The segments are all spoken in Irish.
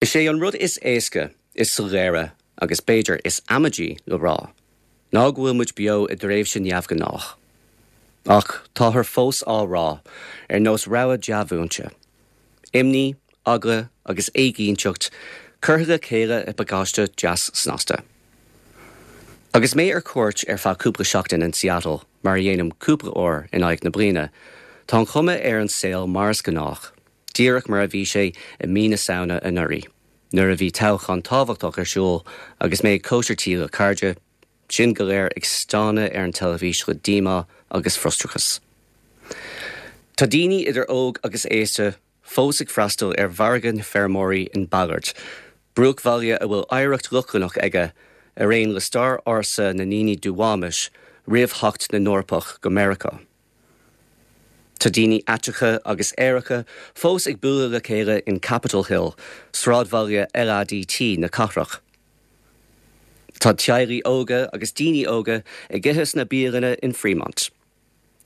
Is é an rud is éasca, is soiléire agus b'fhéidir is amaidí le rá ná go bhfuil muid beo i dtréimhse neamhghnách. Ach táthar fós á rá, ar nós rabhadh dea-mhúinte. Imní, eagla agus éiginnteacht curtha le chéile i bpacáiste deas snasta. Agus mé ar cuairt ar feadh cúpla seachtain in Seattle, mar a dhéanaim cúpla uair in aghaidh na bliana, tá an chuma ar an saol mar is gnách. díreach mar a bhí sé i mí na Samhna anuraidh, nuair a bhí toghchán tábhachtach ar siúl agus mé ag cóisir tí le cairde, sinn go léir ag stánadh ar an teilifís le díomá agus frustrachas. Tá daoine, idir óg agus aosta, fós ag freastal ar mhargadh na feirmeoirí in Ballard, bruachbhaile a bhfuil oidhreacht Lochlannach aige, ar aon le stair ársa na ndaoine Duwamish roimh theacht na nEorpach go Meiriceá. Tá daoine aiteacha agus aeracha fós ag bualadh le chéile in Capitol Hill, sráidbhaile LADT na cathrach. Tá teaghlaigh óga agus daoine óga ag ithe sna bialanna in Fremont.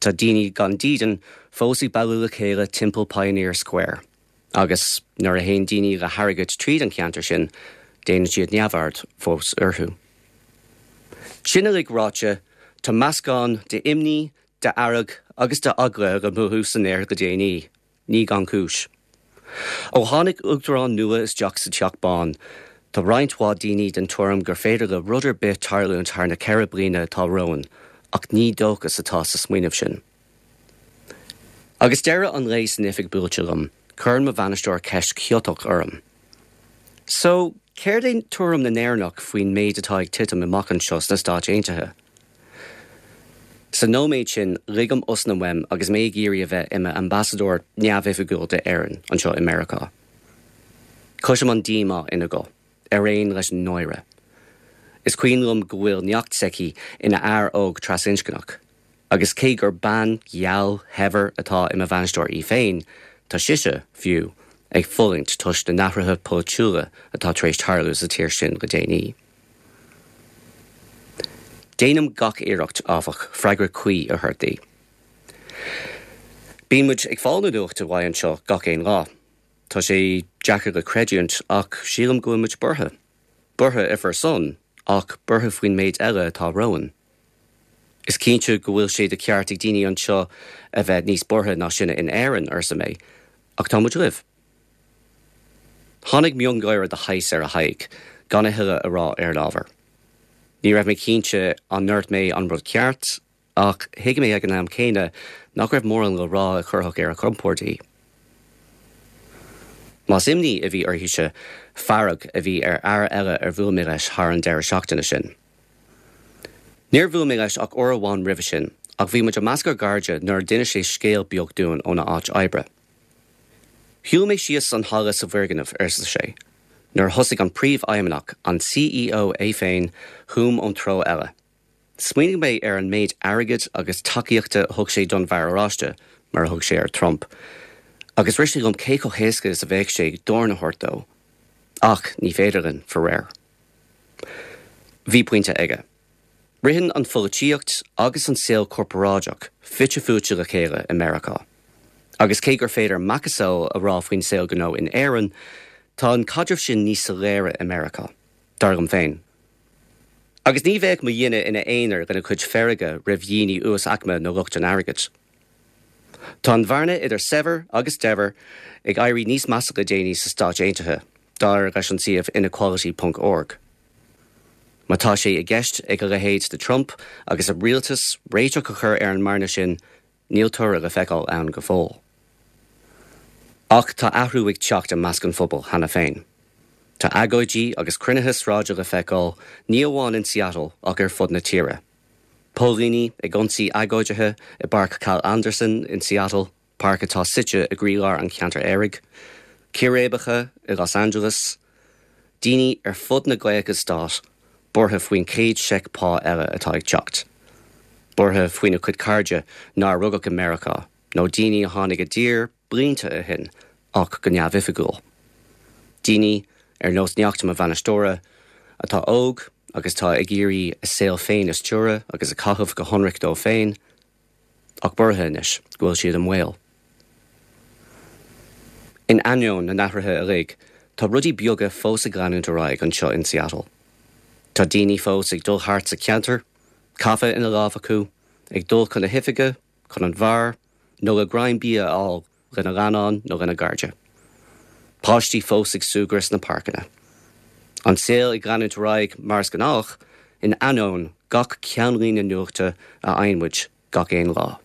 Tá daoine gan dídean fós ag bailiú le chéile timpeall Pioneer Square. Agus nuair a théann daoine le hairgead tríd an cheantar sin, déanann siad neamhaird fós orthu. Sin uilig ráite, tá meascán d'imní, d'fhearg agus d'eagla le mothú san aer le déanaí, ní gan chúis. Ó tháinig uachtarán nua isteach sa Teach Bán, tá roinnt mhaith daoine den tuairim gur féidir le rud ar bith tarlúint thar na 4 bliana atá romhainn, ach ní dóchas atá sa smaoineamh sin. Agus deireadh an lae san oifig buailte liom, cuireann mo bhainisteoir ceist chiotach orm. So, céard é tuairim na nÉireannach faoin méid atá ag titim amach anseo sna Stáit Aontaithe? Sa nóiméad sin, ligim osna uaim agus mé ag iarraidh a bheith i m'ambasadóir neamhoifigiúil d'Éirinn anseo i Meiriceá. Cloisim an díomá ina guth, ar aon leis an náire. Is cuimhin liom go bhfuil neacht s'aici ina fhear óg trasinscneach. Agus cé gur bean gheal shaibhir atá i mo bhainisteoir í féin, tá sise, fiú, ag fulaingt toisc na n-athruithe polaitiúla atá tar éis tarlú sa tír sin le déanaí. Déanaim gach iarracht, áfach, freagra cuí a thabhairt di. Bíonn muid ag fáil na nuachta uaidh anseo gach aon lá. Tá sé deacair le creidiúint, ach sílim go bhfuil muid buartha. Buartha ar bhur son, ach buartha faoin méid eile atá romhainn. Is cinnte go bhfuil sé de cheart ag daoine anseo a bheith níos buartha ná sinne in Éirinn, arsa mé, ach tá muid libh. Tháinig miongháire de shaghas ar a haghaidh, gan a thuilleadh a rá ar an ábhar. Ní raibh mé cinnte an ndúirt mé an rud ceart, ach thuig mé ag an am céanna nach raibh mórán le rá a chuirfeadh ar a compord í. Más imní a bhí uirthise, fearg a bhí ar fhear eile ar bhuail mé leis thar an deireadh seachtaine sin. Níor bhuail mé leis ach uair amháin roimhe sin, ach bhí muid i measc ár gcairde nuair a d'inis sé scéal beag dúinn óna áit oibre. Shiúil mé síos an halla sa bhfoirgneamh, arsa sé, nuair a thosaigh an príomhfheidhmeannach, an CEO é féin, chugam ón treo eile. Smaoinigh mé ar an méid airgid agus tacaíochta a thug sé don bhFear Oráiste, mar a thug sé ar Trump, agus rith sé liom cé chomh héasca is a bheadh sé dorn a thabhairt dó. Ach ní féidir linn, faraor. Bhí pointe aige. Ritheann an pholaitíocht agus an saol corparáideach fite fuaite le chéile i Meiriceá. Agus cé gur féidir macasamhail a rá faoin saol gnó in Éirinn, tá an caidreamh sin níos soiléire i Meiriceá, dar liom féin. Agus ní bheadh mo dhuine ina aonar lena chuid feirge roimh dhaoine uasaicme nó lucht an airgid. Tá an bhearna idir saibhir agus daibhir ag éirí níos measa le déanaí sna Stáit Aontaithe, dar leis an suíomh Inequality ponc org. Má tá sé i gceist ag a leithéid de Trump agus a rialtas réiteach a chur ar an mbearna sin, Níl toradh le feiceáil ann go fóill. Ach tá athrú ag teacht i measc an phobail cheana féin. Tá agóidí agus cruinnithe sráide le feiceáil ní amháin in Seattle ach ar fud na tíre. Póilíní ag ionsaí agóidithe i bPáirc Cal Anderson in Seattle, páirc atá suite i gcroílár an cheantair aeraigh. Círéibeacha i Los Angeles. Daoine ar fud na gcaoga stát buartha faoin chéad seic pá eile atá ag teacht. Buartha faoina gcuid cairde nár rugadh i Meiriceá, nó daoine a tháinig i dtír blianta ó shin ach go neamhoifigiúil. Daoine, ar nós neacht mo bhainisteora, atá óg agus atá ag iarraidh a saol féin a stiúradh agus a chaitheamh go hionraic dóibh féin, ach buartha anois go bhfuil siad i mbaol. In ainneoin na n-athruithe uilig, tá rudaí beaga fós ag leanúint ar aghaidh anseo in Seattle. Tá daoine fós ag dul thart sa cheantar, caife ina lámh acu, ag dul chun na hoifige, chun an bheáir, nó le greim bia a fháil lena leannán nó lena gcairde. Páistí fós ag súgradh sna páirceanna. An saol ag leanúint ar aghaidh mar is gnách, in ainneoin gach ceannlíne nuachta a fhaigheann muid gach aon lá.